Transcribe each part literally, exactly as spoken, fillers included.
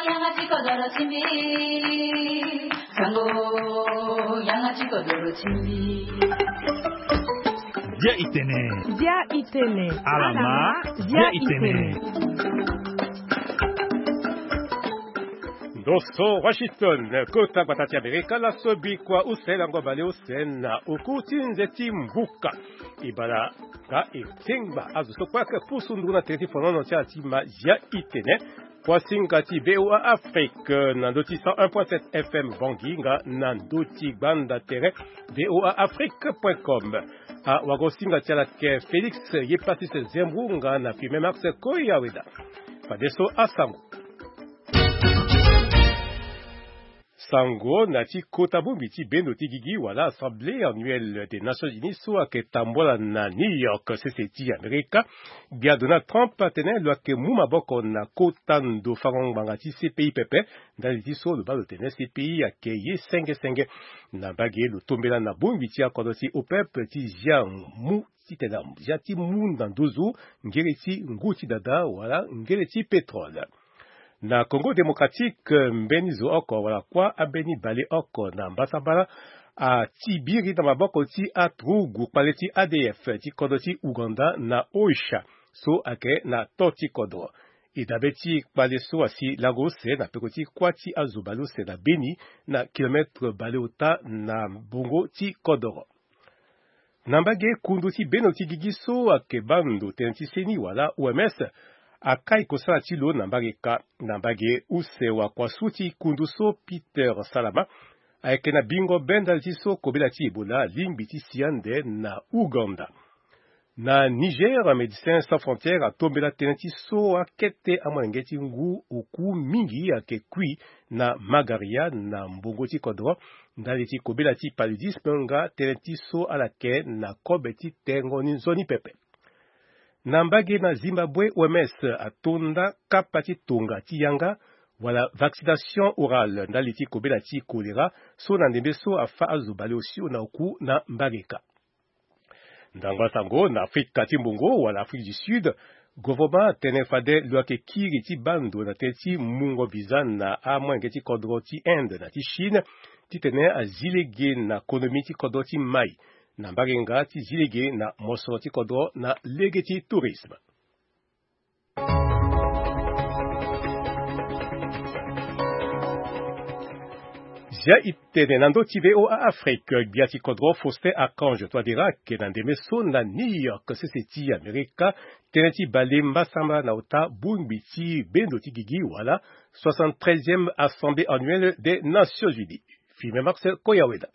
Yanga ti kodoro ti mbi. Sango, yanga ti kodoro ti mbi. Dia itene. Dia itene. Alama. Dia itene. Ndo so Washington, kota gbata ti Amerika, laso bikua use lango baleuse na oku ti nze ti mbuka. E bala nga e tengba azo so kue ayeke pusu nduru na tere ti fonono ti ala ti ma dia itene. Kuasinga ti V O A Afrique na ndö ti cent un point sept F M Bangui nga na ndö ti gbanda tere V O A Afrique point com. Awagosinga ti ala ayeke Félix Yepatis Zembru nga na Firmin Max Koyaweda. Fadeso asango. Sango na ti kota bongbi ti bendo ti gigi wala Assemblée annuelle des Nations Unies so ayeke tambula na New York, sese ti Amerika. Gbia Donald Trump atene lo yeke mu maboko na kota ndo fango ngbanga ti C P I pepe. Ndali ti so lo baa lo tene C P I ayeke ye senge senge. Na mbage lo tombela na bongbi ti akodro ti OPEP ti zia mu titene azia ti mu na nduzu ngere ti ngu ti dada wala ngere ti pétrole. Na Congo Démocratique, mbeni zo oko wala kuâ ambeni baleoko na mbasambala ati biri na maboko ti aturugu kpale ti A D F ti kodro ti Ouganda na Oicha so ayeke na to ti kodro. E dabe ti kpale so asi lango use na peko ti kuâ ti azo baleuse na Beni, na kilometre baleota na mbongo ti kodro. Na mbage kundu ti bendo ti gigi so ayeke baa ndo tënë ti seni wala O M S akai kosala ti lo na mbage ka. Na mbage use wakuasu ti kundu so Peter Salama ayeke na bingo be ndali ti so kobela ti Ebola alingbi ti si ande na Ouganda. Na Niger, Médecins Sans Frontières atombela tënë ti so akete amolenge ti ngu oku mingi ayeke kui na magaria na mbongo ti kodro ndali ti kobela ti paludisme nga tënë ti so ala yeke na kobe ti tengo ni nzoni pepe. Na mbage na Zimbabwe, O M S atonda kapa ti tonga ti yanga wala vaccination orale ndali ti kobela ti choléra so na ndembe so afâ azo baleosio na oku na mbage ka. Ndango asango na Afrika ti mbongo wala Afrique du Sud, gouvernement atene fade lo yeke kiri ti baa ndo na tënë ti mungo visa na amolenge ti kodro ti Inde na ti Chine titene azi lege na konomi ti kodro ti mai na mbage nga ti zi lege na mosoro ti kodro na lege ti tourisme. Zia itene na ndö ti V O A Afrique, gbia ti kodro Faustin Archange Touadéra ayeke na ndembe so na New York, sese ti Amerika, tënë ti bale mbasambala na ota bongbi ti bendo ti gigi wala soixante-treizième Assemblée annuelle des Nations Unies. Firmin Marcel Koyaweda.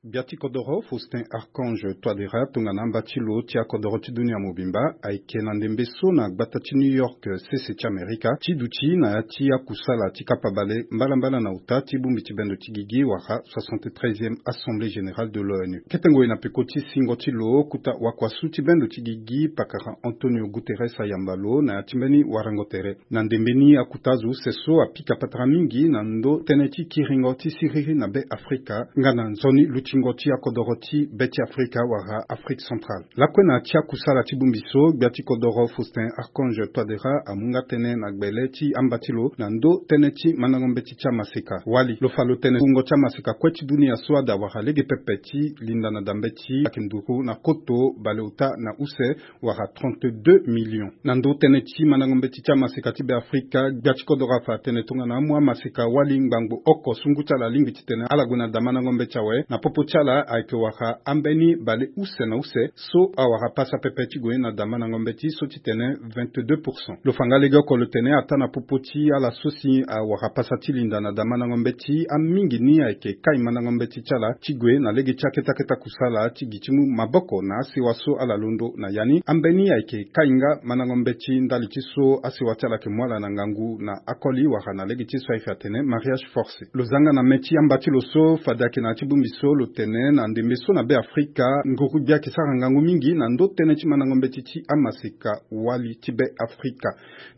Gbia ti kodoro Faustin Archange Touadéra tongana amba ti lo ti akodoro ti dunia mobimba ayeke na ndembe so na gbata ti New York, sese ti Amerika, ti duti na ya ti akusala ti kapa bale mbalambala na ota ti bongbi ti bendo ti gigi wala soixante-treizième Assemblée Générale de l'ONU. Kete ngoi na peko ti singo ti lo, kota wakuasu ti bendo ti gigi pakara Antonio Guterres ayamba lo na ya ti mbeni warango tere. Na ndembe ni, akota azo use so apika patara mingi na ndö tënë ti kiringo ti siriri na Be Afrika nga na nzoni lutingo ti akodoro ti Be ti Afrika wala Afrique centrale. Lakue na ya ti akusala ti bongbi so, gbia ti kodoro Faustin Archange Touadéra amu nga tënë na gbele ti amba ti lo na ndö tënë ti mandango mbeti ti amaseka. Wali lo fa lo tene wungo ti amaseka kue ti dunia so ada wala lege pepe ti linda na da mbeti ayeke nduru na koto baleota na use wala trente-deux millions. Na ndö tënë ti mandango mbeti ti amaseka ti Be Afrika, gbia ti kodoro afa atene tongana amu amaseka wali ngbangbo oko sungu ti ala alingbi titene ala gue na da mandango mbeti awe, na popo ti ala ayeke wara ambeni bale use na use so awara pasa pepe ti gue na da mandango mbeti so titene vingt-deux pour cent. Lo fa nga legeoko lo tene ataa na popo ti ala so si awara pasa ti linda na da mandango mbeti, amingi ni ayeke kai mandango mbeti ti ala ti gue na lege ti akete akete akusala ti gi ti mu maboko na asewa so ala londo na ya ni. Ambeni ayeke kai nga mandango mbeti ndali ti so asewa ti ala yeke mu ala na ngangu na akoli wala na lege ti so ayeke atene mariage forcé. Lo za nga na mê ti amba ti lo so fade ayeke na ya ti bongbi so lo Tene na ndembe so na Be Afrika, nguru-gbia ayeke sara ngangu mingi na ndo tënë ti mandango mbeti ti amaseka wali ti Be Afrika.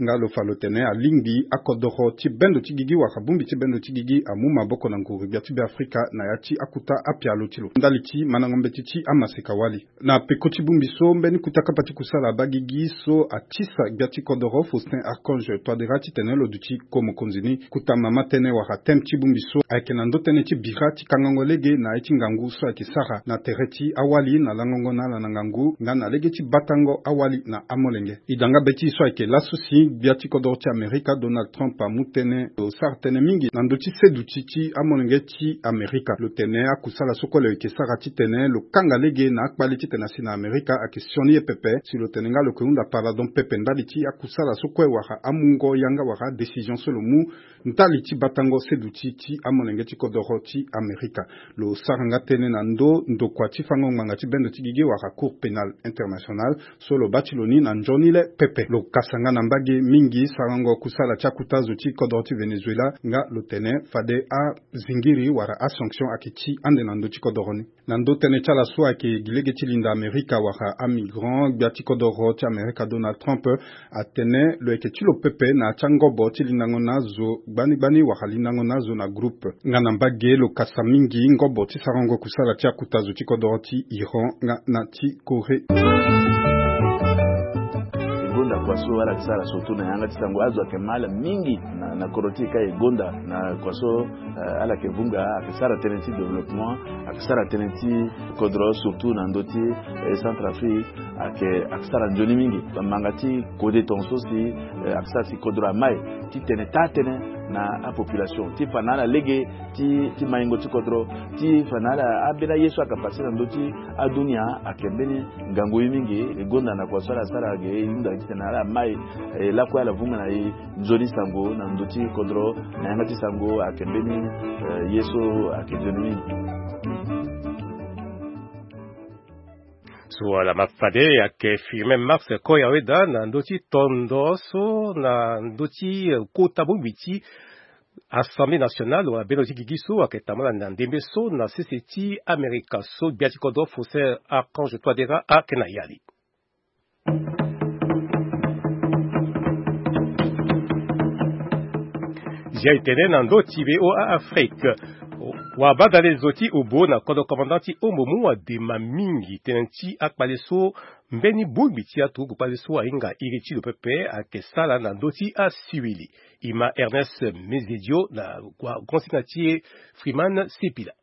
Nga lo fa lo tene alingbi akodoro ti bendo ti gigi wala bongbi ti bendo ti gigi amu maboko na nguru-gbia ti Be Afrika na ya ti akuta apialo ti lo ndali ti mandango mbeti ti amaseka wali. Na peko ti bongbi so, mbeni kuta kapa ti kusala abagigi so atisa gbia ti kodoro Faustin Archange Touadéra titene lo duti ko mokonzi ni. Kuta mama tënë wala thème ti bongbi so ayeke na ndo tënë ti bira ti kangango lege na ye ti ngangu so ayeke sara na tere ti awali na langongo na ala na ngangu nga na lege ti batango awali na amolenge. E da nga be ti e so ayeke laso si gbia ti kodoro ti Amerika Donald Trump amu tënë, lo sara tënë mingi na ndö ti seduti ti amolenge ti Amerika. Lo tene akusala so kue lo yeke sara titene lo kanga lege na akpale titene asi na Amerika ayeke sioni ye pepe, si lo tene nga lo yeke hunda pardon pepe ndali ti akusala so kue wala amungo yanga wala adécision so lo mu ndali ti batango seduti ti amolenge ti kodoro ti Amerika. Lo sara nga tënë na ndo ndokua ti fango ngbanga ti bendo ti gigi wala Cour pénale internationale so lo baa ti lo ni na nzoni le pepe. Lo kasa nga na mbage mingi sarango kusala ti akuta zo ti kodoro ti Venezuela, nga lo tene fade azingiri wala asanction ayeke ti ande na ndö ti kodoro ni. Na ndo tënë ti ala so ayeke gi lege ti linda Amerika wala amigrant, gbia ti kodoro ti Amerika Donald Trump atene lo yeke ti lo pepe na ya ti angobo ti lindango na azo gbani gbani wala lindango na azo na groupe. Nga na mbage lo kasa mingi ngobo ti sarango kusala ti akuta zo ti kodoro ti Iran nga na ti Corée. E gonda kua so ala yeke sara surtout na yanga ti sango, azo ayeke ma ala mingi na, na kodro ti e ka e gonda na kua so, eh, ala yeke vunga, ayeke sara tënë ti développement, ayeke sara tënë ti kodro surtout na ndö ti, eh, Centrafrique, ayeke, ayeke sara nzoni mingi. Bamanga ti kode tongaso si, eh, ayeke sara si kodro amai titene taa tënë na apopulation ti fa na ala lege ti, ti maingo ti kodro, ti fa na ala ambeni aye so ayeke pase na ndö ti adunia. Ayeke mbeni ngangu ye mingi. E gonda na kua so ala sara ge e hunda titene ala mai, eh, lakue ala vunga na e nzoni sango na ndö ti kodro na yanga ti sango ayeke mbeni, eh, ye so ayeke nzoni mingi. So ala ma fade ayeke Firmin Max Koyaweda na ndö ti tondo so na ndö ti, eh, kota bongbi ti Assemblée nationale wala bendo ti gigi so ayeke tambula na ndembe so na sese ti Amerika so gbia ti kodro Faustin Archange Touadéra ayeke na yali. Zia e tene na ndö ti V O A Afrique. Wabadale zo ti obo na kodro commandant ti Ombo mu wadema mingi tënë ti akpale so mbeni bongbi ti aturugu kpale so ahinga iri ti lo pepe ayeke sara na ndö ti asiwili. E ma Ernest Mezedio na wa-, wagonsinga ti e Freeman Sipila.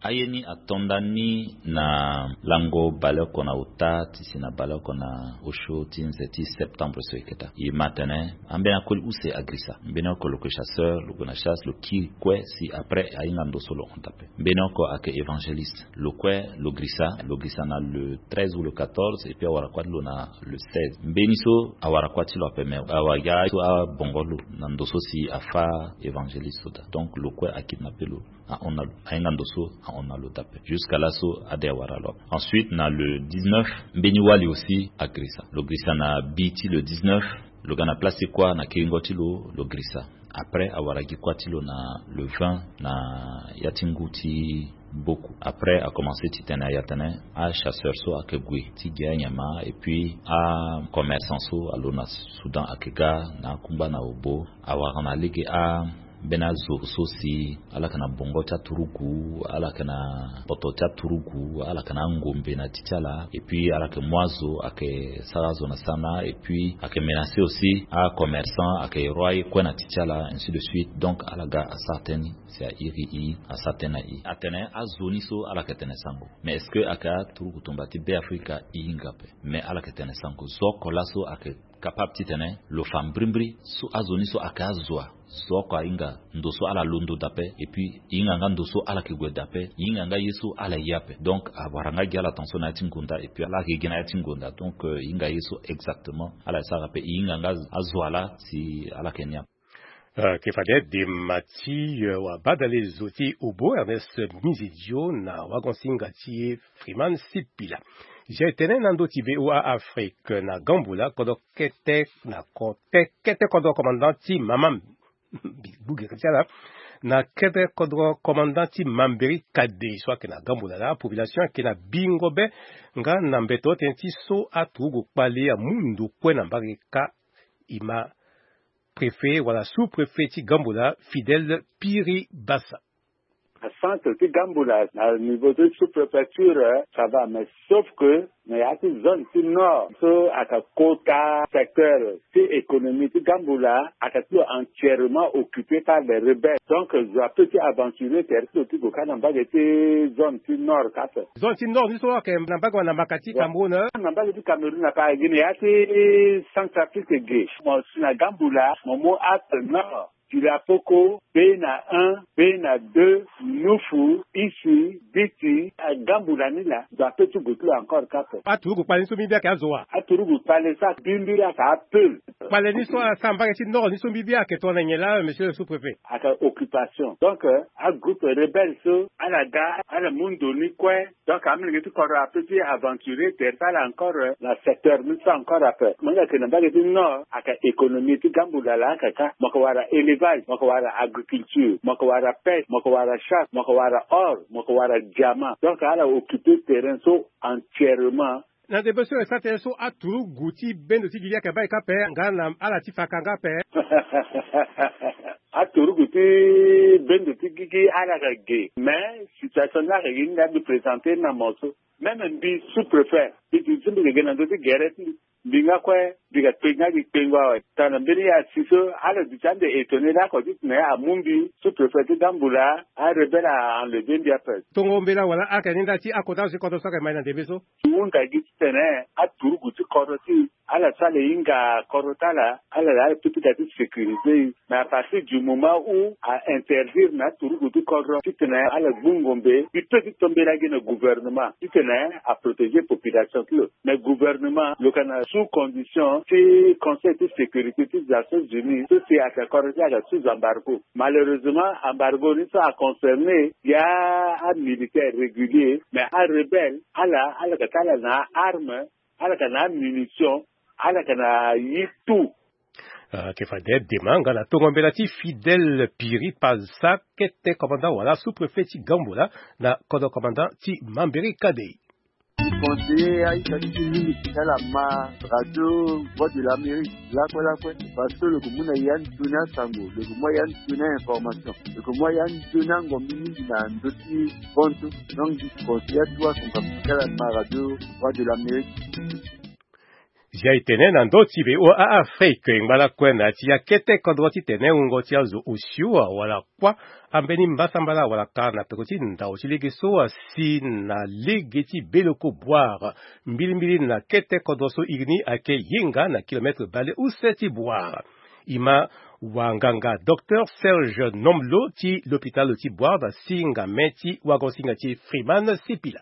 Aye ni ato nda ni na lango baleoko na ota ti si na baleoko na osio ti nze ti septembre so e keta. E ma atene ambeni akoli use agirisa. Mbeni oko lo yeke chasseur, lo gue na chasse, lo kiri kue si après ahinga ndo so lo hon daa ape. Mbeni oko ayeke évangéliste. Lo kue lo girisa, lo girisa na le treize ou le quatorze, et puis awara kuâ ti lo na le seize. Mbeni so awara kuâ ti lo ape, mais awa ya so abongo lo na ndo so si afâ évangéliste so daa. Donc lo kue akidnappé lo, ahon na lo, ahinga ndo so ahon na lo daa ape. Jusqu'à laso ade awara lo ape. Ensuite na le dix-neuf, mbeni wali aussi agirisa. Lo girisa na bi ti le dix-neuf, lo ga na place ti kuâ na kiringo ti lo, lo girisa. Après awara gi kuâ ti lo na le vingt na ya ti ngu ti boku. Après akomanse ti tene aye atene achasseur so ayeke gue ti gi anyama, et puis acommerçant so alo na Soudan ayeke ga na akungba na obo. Awara na lege a mbeni azo so si ala yeke na bongo ti aturugu, ala yeke na poto ti aturugu, ala yeke na angombe na ti ti ala, et puis ala yeke mu azo ayeke sara azo na sana, et puis ayeke menacer aussi acommerçant, ayeke ro aye kue na ti ti ala, ainsi de suite. Donc ala ga asara tënë ni si a iri e, asara tënë na e. Atene azo ni so ala yeke tene sango, mais est-ce que ayeke aturugu tumba ti Be Afrika? E hinga ape. Mais ala yeke tene sango. Zo oko laso ayeke capable titene lo fa mbrimbri so azo ni so ayeke azo wa. Zo oko ahinga ndo so ala londo daa ape, et puis e hinga nga ndo so ala yeke gue daa ape, e hinga nga ye so ala ye ape. Donc awara nga gi ala tension na ya ti ngonda, et puis ala yeke gi na ya ti ngonda. Donc, euh, e hinga ye so exactement ala yeke sara ape, e hinga nga azo wa laa si ala yeke ni ape. Euh, ke fade dema ti, euh, wabadale zo ti obo Ernest Mizidio na wagonsinga ti e Freeman Sipila. Zia e tene na ndö ti V O A Afrique na Gamboula, kodro kete na ko-, te-, kete kodro commandant ti Mamam. Bugere ti ala. Na kete kodro commandant ti Mambéry Kadé so ayeke na Gamboula laa, population ayeke na bingo be nga na mbeto tënë ti so aturugu kpale amu ndo kue na mbage kâ. E ma préfet wala sous-préfet ti Gamboula, Fidèle Piri Bassa. Na centre ti Gamboula, na niveau ti sous-préfecture, ça va, mais sauf que na ya ti zone ti nord so ayeke kota secteur ti économie ti Gamboula, ayeke ti lo entièrement occupé par les rebelles. Donc zo ape ti aventurer tere ti lo ti gue kâ na mbage ti zone ti nord kâ ape. Zone ti nord ni so ayeke na mbage wala na mbaka ti Cameroun? Na mbage ti Cameroun ape, ayeke gi na ya ti Centrafrique ge. Mo si na Gamboula, mo mu acte nord. Tilapoko, Bena un, Bena deux, Nufu, Isi, Biti, a Gamboula ni laa, zo ape ti gue ti lo encore kâ ape. Aturugu kpale ni so mbi mbi ayeke azo wa? Aturugu kpale so mbi mbi ayeke apeul. Kpale ni so asara mbage ti nord ni so mbi mbi ayeke tongana nyen laa, monsieur le sous-préfet? Ayeke occupation. Donc, euh, agroupe rebelle so ala ga, ala mu ndo ni kue. Donc amolenge ti kodro ape ti aventurer tere ti ala encore, euh, na secteur ni so encore ape. Mo yeke na mbage ti nord, ayeke économie ti Gamboula laa ayeke kâ. Mo yeke wara élevage, mo yeke wara agriculture, mo yeke wara pêche, mo yeke wara chasse, mo yeke wara or, mo yeke wara diamant. Donc ala occupé terrain so entièrement. Na ndembe so e sara tënë so aturugu ti bendo ti gigi ayeke baa e kâ ape nga na ala ti faka nga ape? Aturugu ti bendo ti gigi ala yeke ge, mais situation ni ayeke gi ni laa mbi présenter ni na mo so. Même mbi sous-préfet, mbi duti mbi yeke ge na ndö ti gere ti mbi. Mbi nga kue mbi ga kpe nga gi kpengo awe. Tongana mbeni ya si so ala duti ande étonné laa oko titene amu mbi sous-préfet ti Gamboula, arebelle a enlever mbi ape. Tongo mbela wala ala yeke ni nda ti akota zo ti kodro so ayeke ma e na ndembe so? Ti hunda gi titene aturugu ti kodro ti ala so ala hinga kodro ti ala, ala laa ala pika ti sécurité. Mais à partir du moment où a interdire na aturugu ti kodro titene ala gbu ngombe, mbi peut ti to mbela gi na gouvernement titene a protéger population ti lo. Mais gouvernement lo yeke na sous condition ti Conseil ti sécurité ti Nations Unies so si ayeke kodro ti ayeke sous embargo. Malheureusement embargo ni so a concerner ya amilitaire régulier, mais arebelle ala, ala yeke ti ala na arme, ala yeke na amunition, ala yeke na ye tout. Ah, ayeke fade dema nga na tongo mbela ti Fidèle Piri Bassa, kete commandant wala sous-préfet ti Gamboula na kodro commandant ti Mambéry Kadé. Conseiller aita ti ti mingi ti ala ma radio Voix de l'Amérique lakue lakue, parce que lo yeke mu na ya nzoni asango, lo yeke mu ya nzoni a-information, lo yeke mu ya nzoni angombi mingi na ndö ti hon so. Donc mbi conseiller atuwa akonga ti ala ma radio Voix de l'Amérique. Zia e tene na ndö ti V O A Afrique, ngba lakue na ya ti ya kete kodro titene wungo ti azo osio awara kuâ ambeni mbasambala awara ka na peko ti ndao ti lege so asi na lege ti Beloko Boire, mbilimbili na kete kodro so iri ni ayeke hinga na kilomètre bale use ti Boire. E ma wanganga docteur Serge Nomlo ti lopitalo ti Boire na singa me ti wagosinga ti Freeman Sipila.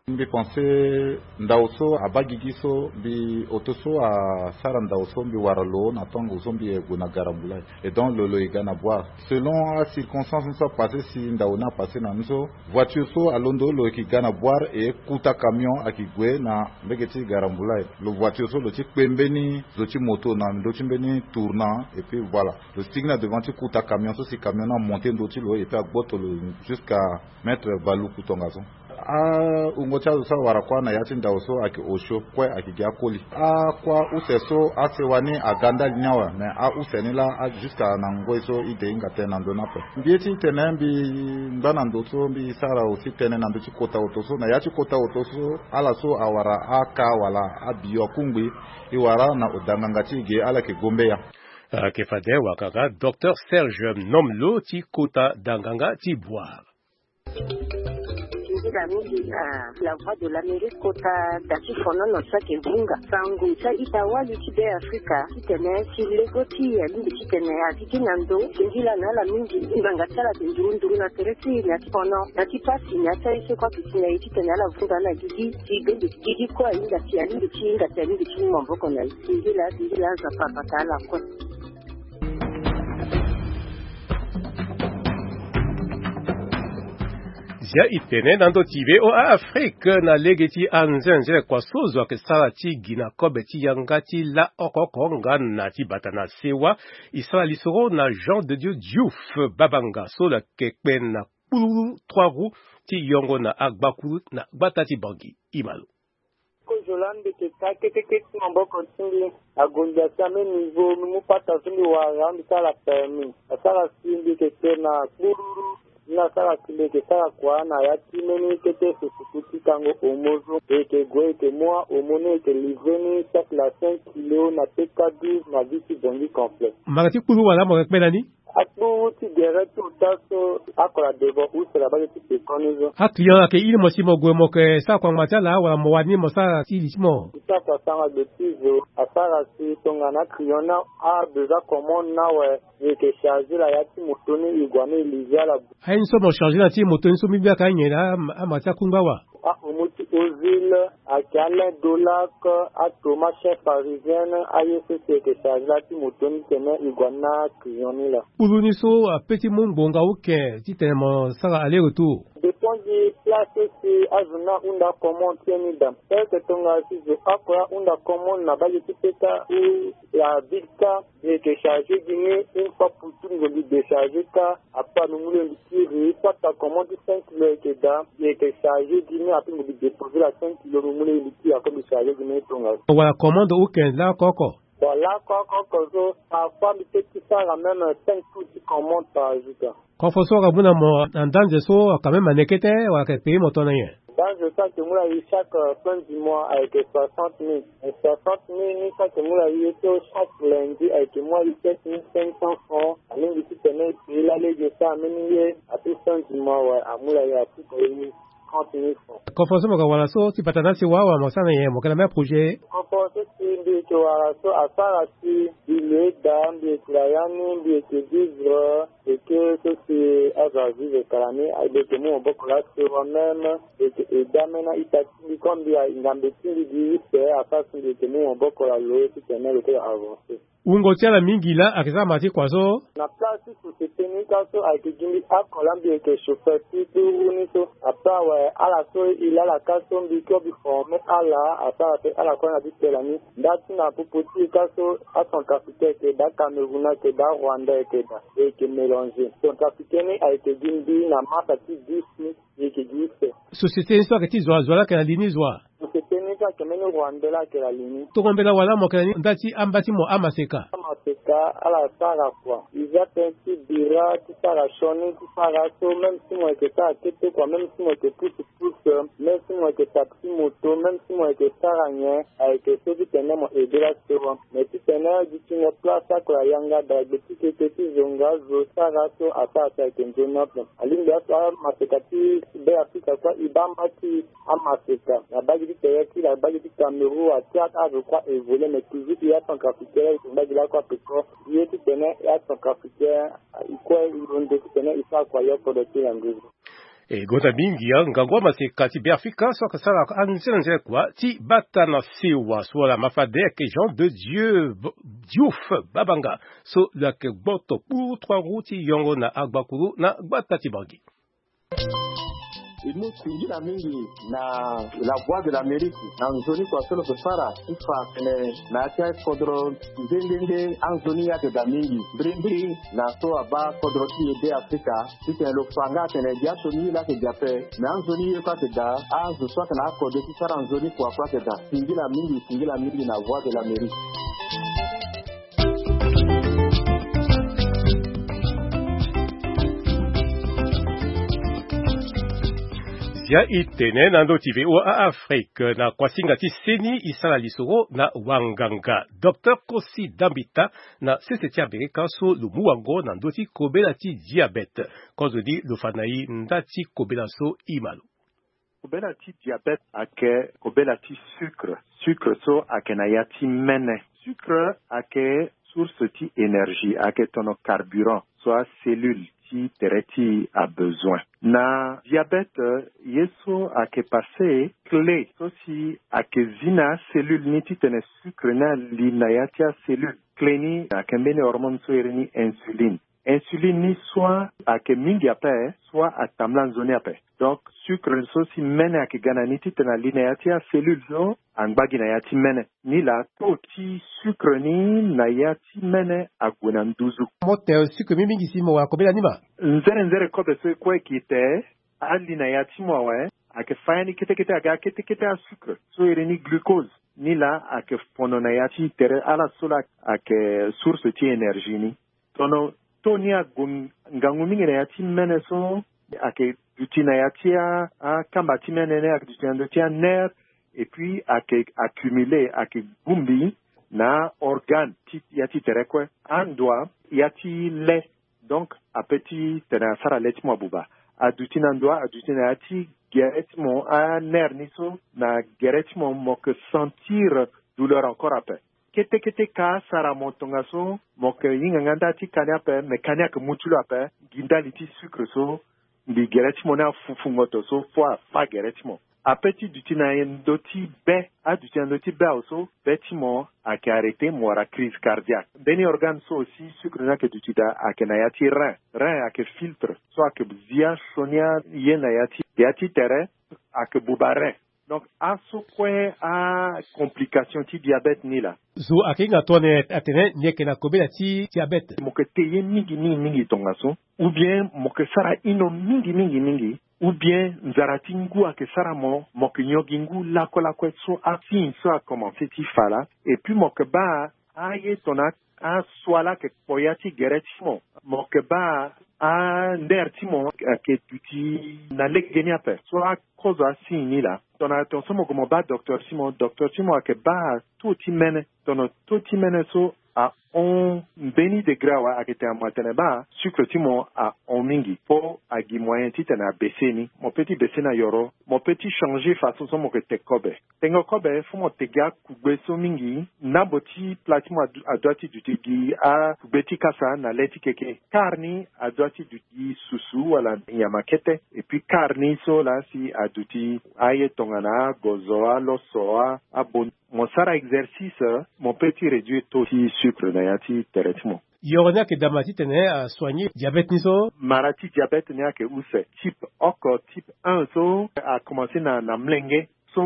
Mbi pense ndao so abaa gigi so, mbi oto so asara ndao so mbi wara lo na tongo so mbi gue na Garambula. Et donc lo lo e ga na Boire. Selon acirconstance ni so apasse si ndao ni apasse na ni so, voiture so alondo lo yeke ga na Boire e kuta camion ayeke gue na mbage ti Garambula. Lo voiture so lo ti kpe mbeni zo ti moto na ndö ti mbeni tournant et puis voilà. Lo sigi na devant ti kuta camion so si camion ni amonte ndö ti lo et puis agboto lo jusqu'à Maître Baluku tongaso. Awungo ti azo so awara kuâ na ya ti ndao so ayeke osio kue ayeke gi akoli. Akuâ use so asewa ni aga ndali ni awe, mais a-use ni laa jusqu'à na ngoi so e de hinga tënë na ndö ni ape. Mbi ye ti tene mbi ngba na ndo so mbi sara aussi tënë na ndö ti kota oto so, na ya ti kota oto so ala so awara aka wala abiyo akungbi, e wara na oda nganga ti e ge ala yeke gombeya. Ayeke fade wakaka docteur Serge Nomlo ti kota danganga ti Boire. Nzila mingi na La Voix de l'Amérique kota da ti fonono ti ayeke vunga sango ti a-ita wali ti Be Afrika titene si lego ti e alingbi titene agigi na ndo. Singila na ala mingi, ngbanga ti ala ayeke nduru nduru na tere ti e na ti fono na ti pasi na ya ti aye so kue ayeke si na e titene ala vunga na gigi ti bende ti gigi kue ahinga si alingbi ti hinga si alingbi ti mu maboko na e. Singila, singila, Nzapa abata ala kue. Ya e tene na ndö ti V O A Afrique na lege ti anzenze kua so zo ayeke sara ti gi na kobe ti yanga ti la oko oko nga na ti bata na sewa. E sara lisoro na Jean de Dieu Diouf Babanga so lo yeke kpe na kpululu trois roues ti yongo na agbakuru na gbata ti Bangui. E ma lo. Kozo laa mbi yeke ka kete kete ti maboko ti mbi. Agonda ti ambeni nivo mbi mu pata so mbi wara mbi sara permis. Asara si mbi yeke kpe na kpururu. Ni asara si mbi yeke sara kua na ya ti mbeni kete susuku ti kango homo so. E yeke gue e yeke mu ahomo ni e yeke livrer ni sac la cinq kilo na P K douze na ville ti Bangui complet. Mbanga ti kpururu wala mo yeke kpe na ni? Akpuru ti gere ti ota so akola devant use na bage ti pekoni so. Aclient ayeke iri mo si mo gue mo yeke sara kua ngba ti ala wala mo wara ni mo sara ti li ti mo? Ti sara kua sanga gbe ti zo asara si tongana aclient ni abesoin commande ni awe. E yeke charger la ya ti moto ni e gue ni e livrer ala. Aye ni so mo charger na ti moto ni so mbi mbi ayeke anyen na ama ti akungba wa? Ahomo ti Ozil, ayeke alain Dolac, atoma chef parisienne, aye so si e yeke charger la ti moto ni titene e gue na client ni laa. Kpulu ni so ape ti mu ngbonga uke titene mo sara aller retour? Dépend gi place so si azo ni ahunda commande ti ye ni daa. Eke tongana si zo oko ahunda commande na bage ti peta ou la ville ka, e yeke charger gi ni une fois pour tout, nzoni décharger ka. Après mbi mu lo mbi kiri pata commande ti cinq kilo e yeke daa, e yeke charger gi ni. Après mbi déposer la cinq kilo mbi mu lo mbi kiri, après mbi charger gi ni tongaso. Wala commande uke laa oko oko? Bon, laa oko oko so parfois mbi peut ti sara même cinq tours ti commande par jour ka. Kofo so aka mu na mo na ndanze so aka même ane kete wala aka payer mo tongana nyen? Ndanze so ayeke mu na e chaque fin du mois ayeke soixante mille. Soixante mille ni so ayeke mu na e ye so chaque lundi ayeke mu na e sept mille cinq cents francs. Alingbi titene e payer lalege so ambeni ye. Ape fin du mois awe amu na e apuka e trente mille francs. Kofo so mo yeke wara so ti bata na asewa wala mo sara na nyen, mo yeke na même projet? Kofo so si mbi yeke wara so asara si mbi lo eda, mbi yeke na ya ni, mbi yeke vivre. Eke so si azo avivre kala ni, mbi yeke mu maboko laa sewa même. Mbi yeke eda même na ita ti mbi comme mbi a ngambe ti mbi gi use, asara si mbi yeke mu maboko na lo titene lo kue lo avancer. Wungo ti ala mingi laa ayeke sara mara ti kua so? Na place ti société ni ka so ayeke gi mbi oko laa mbi yeke chauffeur ti kpuru ni so. Après awe ala so e laa ala ka so mbi kue mbi former ala, asara pe ala kue na ti tela ni. Nda ti na popo ti e ka so acentrafricain ayeke daa, Cameroun ayeke daa, Rwanda ayeke daa, e yeke mélanger. Centrafricain ni ayeke gi mbi na marka ti dix ni. E yeke gi use. Société ni so ayeke ti zo wa, zo wa laa ayeke na li ni zo wa? Société ni so ayeke mbeni rwandais laa ayeke na li ni. Tongo mbela wala mo yeke na ni nda ti amba ti mo amaseka? Amaseka ala sara kua. E za tënë ti bira ti sara sioni ti sara so, même si mo yeke sara kete kua, même si mo yeke pousse pousse, même si mo yeke taxi moto, même si mo yeke sara nyen, ayeke so titene mo aider la sewa. Mais titene dutingo place oko ayanga daa gbe ti keke ti zonga zo sara so asara si ayeke nzoni ape. Alingbi aso amaseka ti Be Afrika kue e baa mba ti amaseka na bage ti Tayaki, na bage ti Cameroun, ati azo kue a évoluer, mais toujours e acentrafricain e yeke mbage lakue ape ko. Ye titene e acentrafricain e kue e londo titene e sara kua yo kodro ti na nduzu. E gonda mingi angangu amaseka ti Be Afrika so ayeke sara anzenanzena kua ti bata na sewa so wala mafade ayeke Jean de Dieu Diouf Babanga so lo yeke gboto kpuru trois roues ti yongo na agbakuru na gbata ti Bangui. E mu singila mingi na La Voix de l'Amérique na nzoni kua so lo yeke sara ti fa atene na ya ti akodro nde nde nde anzoni ye ayeke daa mingi. Mbirimbiri na so abaa kodro ti e Be Afrika titene lo fa nga atene dia sioni ye laa ayeke dia ape, me anzoni ye kue ayeke daa, azo so ayeke na akode ti sara nzoni kua kue ayeke daa. Singila mingi, singila mingi na Voix de l'Amérique. Zia e tene na ndö ti V O A Afrique na kuasinga ti seni e sara lisoro na wanganga Docteur Kosi Dambita na sese ti Amerika so lo mu wango na ndö ti kobela ti diabète. Kozoni lo fa na e nda ti kobela so e ma lo. Kobela ti diabète ayeke kobela ti sucre. Sucre so ayeke na ya ti mene. Sucre ayeke source ti énergie, ayeke tono carburant so acellule ti tere ti e abezoin. Na diabète ye so ayeke passé clé so si ayeke zi na acellule ni titene sucre ni ali na ya ti acellule. Clé ni ayeke mbeni hormone so iri ni insuline. Insuline ni soit ayeke mingi ape, soit atambula nzoni ape. Donc sucre so si mene ayeke ga na ni titene ali na ya ti acellule so angba gi na ya ti mene. Nilaa taux ti sucre ni na ya ti mene ague na nduzu. Mo te sucre mingi mingi si mo wara kobela ni ma. Nzere nzere kobe so e kue e gi te ali na ya ti mo awe. Ayeke fa ya ni kete kete aga kete kete asucre so iri ni glucose. Nilaa ayeke fono na ya ti tere ala so laa ayeke source ti énergie ni. Tono taux ni ague ngangu mingi na ya ti mene so ayeke duti na ya ti a- akamba ti mene ni ayeke duti na ndö ti anerf. Et puis ayeke accumulé, ayeke bongbi na organe ti ya ti tere kue. Andua ya ti le. Donc ape titene asara le ti mo abuba. Aduti na ndua, aduti na ya ti gere ti mo, anerf ni so na gere ti mo mo yeke sentir douleur encore ape. Kete kete ka asara mo tongaso mo yeke hinga nga nda ti kani ape, me kani ayeke mu ti lo ape. Gi ndali ti sucre so mbi gere ti mo ni afufu ngoto so fo afa gere ti mo. Ape ti duti na ndö ti be, aduti na ndö ti be awe so be ti mo ayeke arrêté, mo wara crise cardiaque. Mbeni organe so aussi sucre ni ayeke duti daa ayeke na ya ti rein. Rein ayeke filtre so ayeke zia sioni aye na ya ti ya ti tere. Ayeke buba rein. Donc aso kue acomplication ti diabète ni laa. Zo ayeke hinga tongana atene ni yeke na kobela ti diabète. Mo yeke te ye mingi mingi mingi tongaso, ou bien mo yeke sara ino mingi mingi mingi, ou bien nzara ti ngu ayeke sara mo, mo yeke nyon gi ngu lakue lakue so asigne so akomanse ti fa laa. Et puis mo yeke baa aye tongana asua laa ayeke kpo ya ti gere ti mo. Mo yeke baa anerf ti mo ayeke duti na legeni ape so akozo asigne ni laa. Tongana tongaso mo gue mo baa docteur ti mo, docteur ti mo ayeke baa taux ti mene. Tongana taux ti mene so ahon mbeni degré awe, ayeke tene mo atene baa sucre ti mo ahon mingi, fo agi moyen titene abaisse ni. Mo peut ti baisse na yoro, mo peut ti changer façon so mo yeke te kobe. Tengo kobe fo mo te gi akugbe so mingi. Ndambo ti plat ti mo adu- adua ti duti gi akugbe ti kasa na le ti keke. Quart ni adua ti duti gi susu wala nyama kete. Et puis quart ni so laa si aduti aye tongana agozo, aloso, a- abon. Mo sara exercice, mo peut ti réduire taux ti sucre na ya ti tere ti mo. Yoro ni ayeke dama titene asoigner diabète ni so. Mara ti diabète ni ayeke use. Type oko, type un so akomanse na na mlenge. So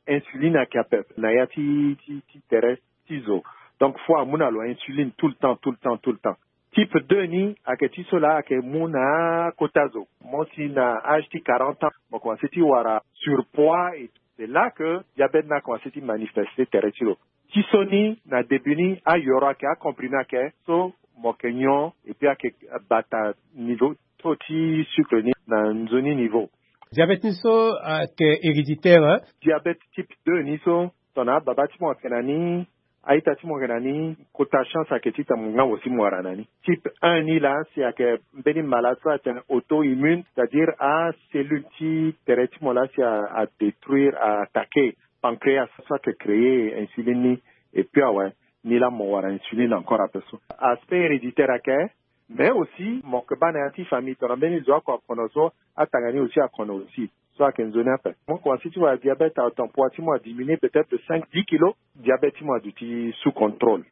insuline ayeke ape na ya ti ti ti tere ti zo. Donc fo amu na lo insuline tout le temps, tout le temps, tout le temps. Type deux ni ayeke ti so laa ayeke mu na akota zo. Mo si na âge ti quarante ans mo komanse ti wara surpoids et c'est là que diabète ni akomanse ti manifeste tere ti lo. Ti so ni na début ni ayoro ayeke, acomprimé ayeke, so mo yeke nyon et puis ayeke bata niveau taux ti sucre ni na nzoni niveau. Diabète ni so ayeke héréditaire, hein? Diabète type deux ni so tongana ababa ti mo ayeke na ni, a-ita ti mo ayeke na ni, kota chance ayeke titene mo nga mo si mo wara na ni. Type un ni laa si ayeke mbeni malade so atene auto-immune, c'est-à-dire acellule ti tere ti mo laa si a- adétruire, a attaquer pancréas so ayeke créer insuline ni. Et puis awe, ni laa mo wara insuline encore ape so. Aspect héréditaire ayeke. Mais aussi mo yeke baa na ya ti famille tongana mbeni zo oko akono so, atanga ni aussi akono aussi. So ayeke nzoni ape. Mo komanse ti wara diabète à temps poids ti mo adiminuer peut-être de cinq, dix kilos. Diabète ti mo aduti sous contrôle.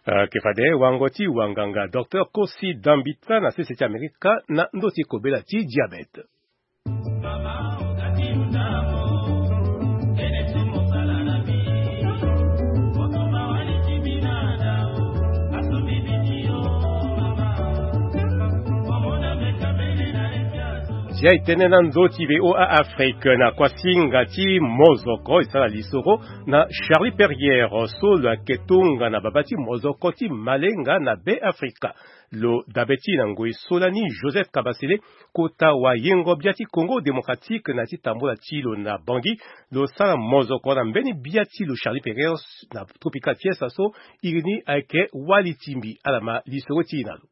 Ayeke fade wango ti wanganga docteur Kosi Dambita na sese ti Amerika na ndö ti kobela ti diabète. Zia e tene na ndö ti V O A Afrique na kuasinga ti mozoko e sara lisoro na Charlie Perrière so lo yeke tongana baba ti mozoko ti malenga na Be Afrika. Lo dabe ti na ngoi so lani Joseph Kabasele, kota wayengo bia ti Congo Démocratique na ti tambula ti lo na Bangui, lo sara mozoko na mbeni bia ti lo Charlie Perrière na Tropical Fiesta so iri ni ayeke Wali Timbi. Ala ma lisoro ti e na lo.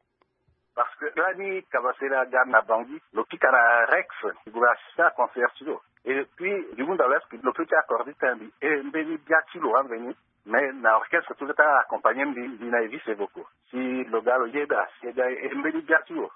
Parce que lani Kabasele aga na Bangui, lo pika na Rex, lo gue assisté aconcert ti lo. Et puis, du monde à l'Est, lo peut ti accordé ti mbi, e mbeni bia ti lo amveni. Mais na orchestre tout le temps accompagné mbi, mbi na e vice vocaux. Si lo ga lo yeda, si e ga e mbeni bia ti lo.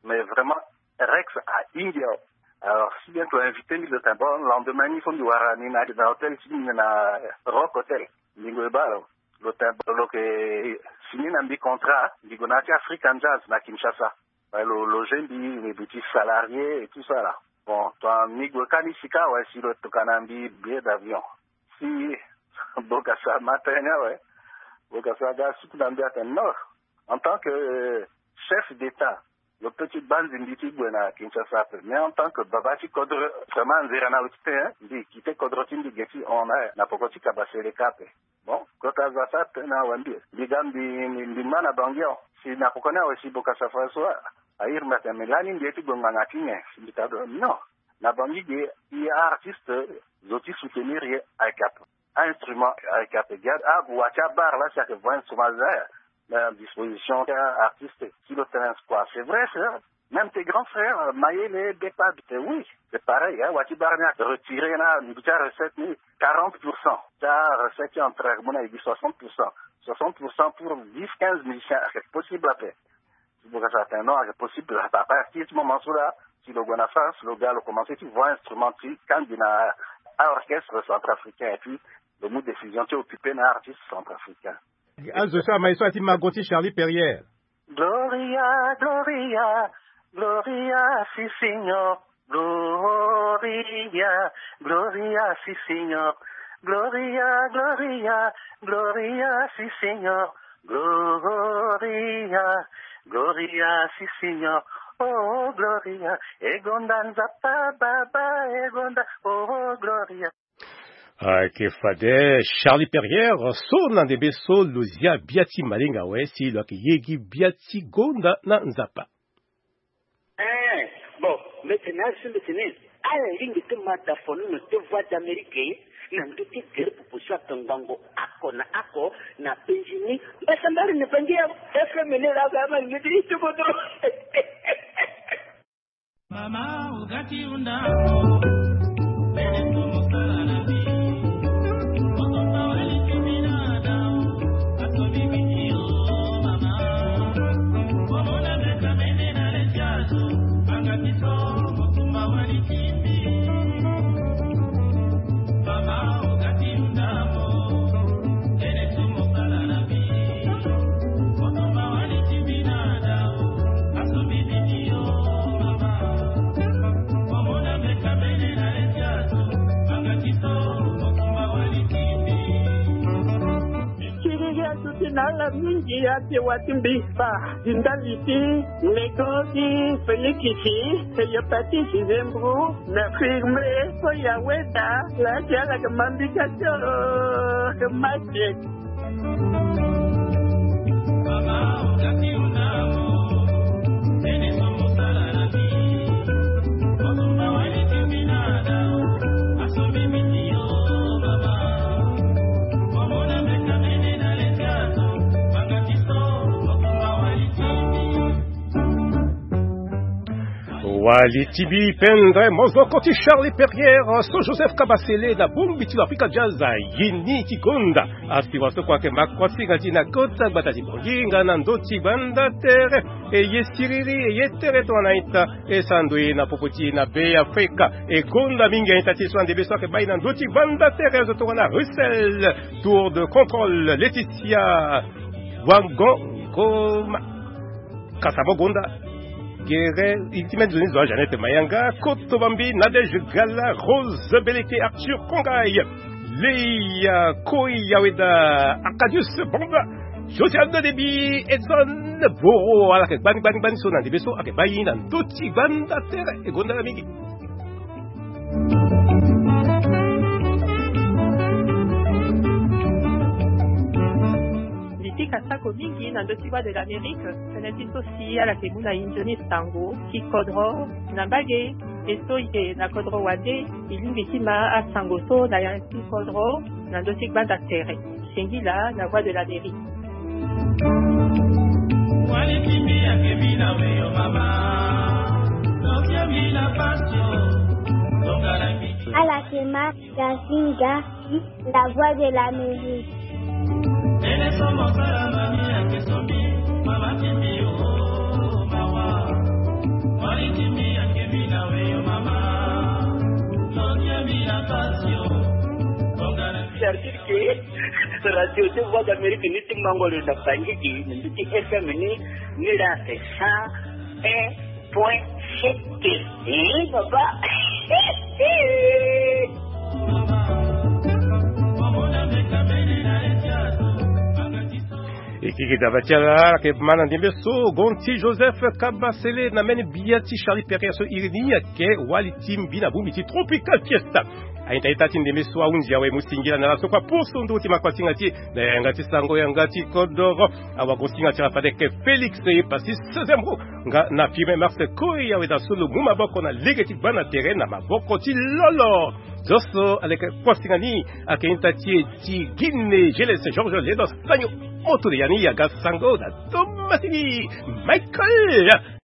Mais vraiment, Rex ahingi awe. Alors, si bien lo invité mbi, lo tene bon, lendemain ni so mbi wara ni na, na hôtel ti mbi na Rock Hotel. Mbi ngoi baa lo. Lo tene bon, lo yeke Ni na mbi contrat, mbi gue na ya ti African Jazz na Kinshasa. Wala lo loger mbi, mbi ti salarié et tout ça là. Bon, tongana mbi gue ka ni sika, wala si lo tokua na mbi billet d'avion. Si Bokassa ma tene ni awe, Bokassa aga suku na mbi atene non. En tant que chef d'État, lo peut ti banzi mbi ti gue na Kinshasa ape. Mais en tant que baba ti kodro, vraiment nzere na lo ti tene, mbi quitté kodro ti mbi ge ti hon na, na poko ti Kabaseleka ape. Bon, kota azo asara tënë na awe mbi. Mbi ga mbi, mbi, mbi ma na Bangui awe. Si na poko ni awe si Bokassa François airi mbi atene, mais lani mbi ye ti gue ngbanga ti nyen? Si mbi ta do, non. Na Bangui ge, i artiste zo ti soutenir ye ayeke ape. A-instrument ayeke ape. Ga ague wa ti abar la si ayeke vo instrument aza na disposition ti artiste. Si lo tene kua, c'est vrai, c'est vrai. Même tes grands frères, euh, Mayele, Bepa, euh, oui, c'est pareil, hein, wa ti bar ni a retiré na mbi ti arecette ni quarante pour cent. Ti arecette ti entraînement ni ayeke gi soixante pour cent. Soixante pour cent pour dix, quinze musiciens, ayeke possible ape. Si Bokassa atene non, ayeke possible ape. Ape ti moment so la, si lo gue na France, lo ga lo commencé ti vo instrument ti kangbi na a-orchestre centrafricain, et puis lo mu décision ti occupé na artiste centrafricain. Azo so ama ye so ati mago ti Charlie Perrier. Gloria, Gloria, Gloria, si Signor. Gloria, Gloria, si Signor. Gloria, Gloria, Gloria, si Signor. Gloria, Gloria, si Signor. Oh, Gloria, e gonda Nzapa, Baba, e gonda, oh, Gloria. Ayeke fade Charlie Perrier so na ndembe so lo zia bia ti malinga awe si lo yeke ye gi bia ti gonda na Nzapa. Eh, bon, mbi tene asi mbi tene ala lingbi ti ma da fono na te Voix d'Amérique na ndö ti tere popo so ayeke ngbongo oko na oko na penzi ni. Mbasambari ni bangi ya F M ni la ga ma ni ti ti kodro. Mama, ogati unda. Siriri aduti na ala mingi ate wa ti mbi, ba di ndali ti nego ti Félix, Hépatite, Zembrou, na firme, so ya weda la ti ala ke mambika ti oro ke mate. Wali ti bi pendre mozoko ti Charlie Perrier, so Joseph Kabasele na bongbi ti lo Africa Jazz, ye ni ti gonda. Asi wa so kua ayeke ma kosinga ti na kota gbata ti Bongi nga na ndö ti gbanda tere. E ye siriri, e ye tere tongana ita, e sando ye na popo ti e na Be Afrika. E gonda mingi a-ita ti e so ande be so ayeke baa e na ndö ti gbanda tere, azo tongana Russell, Tour de Contrôle, Laetitia Wango Ngoma. Kasabo Gonda. Gere, i ti mene nzoni zo a Jeannette Mayanga, Koto Bambi, Nadège Gala, Rose Beleke, Arthur Kongai, Leia Koi, Yaweda, Arcadius Bamba, Josiane Debi, Edson Boro, ala yeke gbani, gbani, gbani so na ndembe so ayeke baa e na ndö ti gbanda tere, e gonda ala mingi. Mbi pika sako mingi na ndö ti Voix de l'Amérique, tënë ti so si ala yeke mu na e nzoni sango ti kodro na mbage, e so e yeke na kodro wande, e lingbi ti ma asango so na ya ti kodro na ndö ti gbanda tere. Singila na Voix de l'Amérique. Ala yeke ma Gazinga, La Voix de l'Amérique. Artiste ke radio ti Voix d'Amérique ni ti mango lo na Bangui gi na ndu ti F M ni, ni la ate cent un point sept. Eh, baba. E kiki daba ti ala ayeke ma na ndembe so gonti Joseph Kabasele na mbeni bia ti Charlie Pereira so iri ni ayeke wali ti mbi na bongbi ti Tropical Fiesta. Aita ita ti ndembe so ahunzi awe mu singila na ala so kua poso ndo ti makuasinga ti e na yanga ti sango yanga ti kodoro. Awagosinga ti ala fade ayeke Félix e pasi seizième ro nga na firme Marseille koi awe da so lo mu maboko na lege ti gba na tere na maboko ti lolo. Zo so aleke kuasinga ni ayeke ita ti e ti Guinée Gélès Georges Ledo Sagno. Moto le ya ni yaga sango na domasini Michael.